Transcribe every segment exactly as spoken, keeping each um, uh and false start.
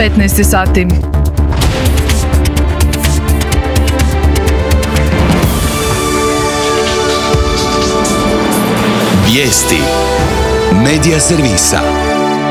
petnaest sati. Vijesti Medija servisa.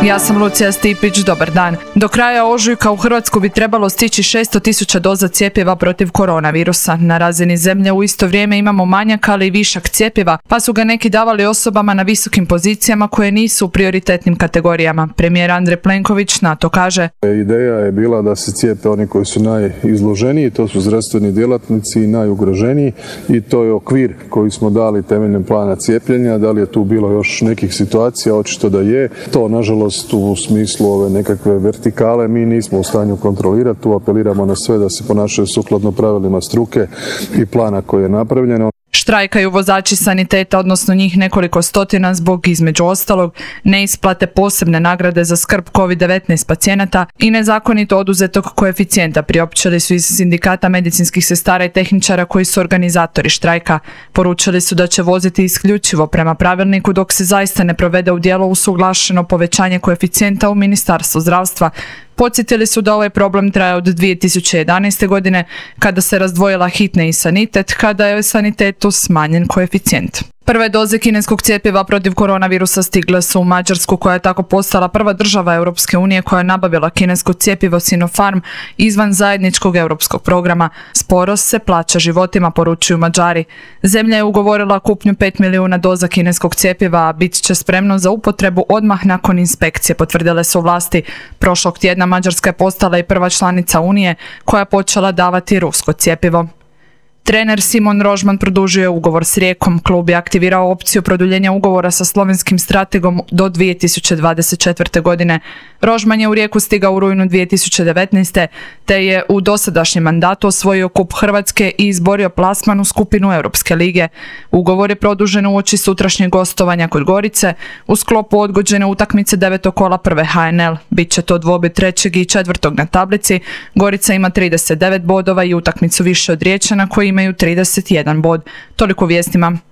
Ja sam Lucija Stipić, dobar dan. Do kraja ožujka u Hrvatsku bi trebalo stići šesto tisuća doza cjepiva protiv koronavirusa. Na razini zemlje u isto vrijeme imamo manjak, ali i višak cjepiva, pa su ga neki davali osobama na visokim pozicijama koje nisu u prioritetnim kategorijama. Premijer Andrej Plenković na to kaže: Ideja je bila da se cijepe oni koji su najizloženiji, to su zdravstveni djelatnici i najugroženiji, i to je okvir koji smo dali temeljem plana cijepljenja. Da li je tu bilo još nekih situacija? Očito da je. To, nažalost, u smislu ove nekakve vertikale mi nismo u stanju kontrolirati. Tu apeliramo na sve da se ponašaju sukladno pravilima struke i plana koji je napravljeno. Štrajkaju vozači saniteta, odnosno njih nekoliko stotina, zbog, između ostalog, neisplate posebne nagrade za skrb kovid devetnaest pacijenata i nezakonito oduzetog koeficijenta, priopćili su iz sindikata medicinskih sestara i tehničara koji su organizatori štrajka. Poručili su da će voziti isključivo prema pravilniku dok se zaista ne provede u djelo usuglašeno povećanje koeficijenta u Ministarstvu zdravstva. Podsjetili su da ovaj problem traje od dvije tisuće jedanaeste. godine, kada se razdvojila hitne i sanitet, kada je sanitetu smanjen koeficijent. Prve doze kineskog cjepiva protiv koronavirusa stigle su u Mađarsku, koja je tako postala prva država Europske unije koja je nabavila kinesko cjepivo Sinopharm izvan zajedničkog europskog programa. Sporost se plaća životima, poručuju Mađari. Zemlja je ugovorila kupnju pet milijuna doza kineskog cjepiva, a bit će spremno za upotrebu odmah nakon inspekcije, potvrdile su vlasti. Prošlog tjedna Mađarska je postala i prva članica Unije koja je počela davati rusko cjepivo. Trener Simon Rožman produžio je ugovor s Rijekom. Klub je aktivirao opciju produljenja ugovora sa slovenskim strategom do dvije tisuće dvadeset četvrte. godine. Rožman je u Rijeku stigao u rujnu dvije tisuće devetnaeste. te je u dosadašnjem mandatu osvojio kup Hrvatske i izborio plasman u skupinu Europske lige. Ugovor je produžen uoči sutrašnjeg gostovanja kod Gorice u sklopu odgođene utakmice devetog kola prve H N L. Biće to dvoboj trećeg i četvrtog na tablici. Gorica ima trideset devet bodova i utakmicu više od Riječana koji imaju trideset jedan bod. Toliko vijestima.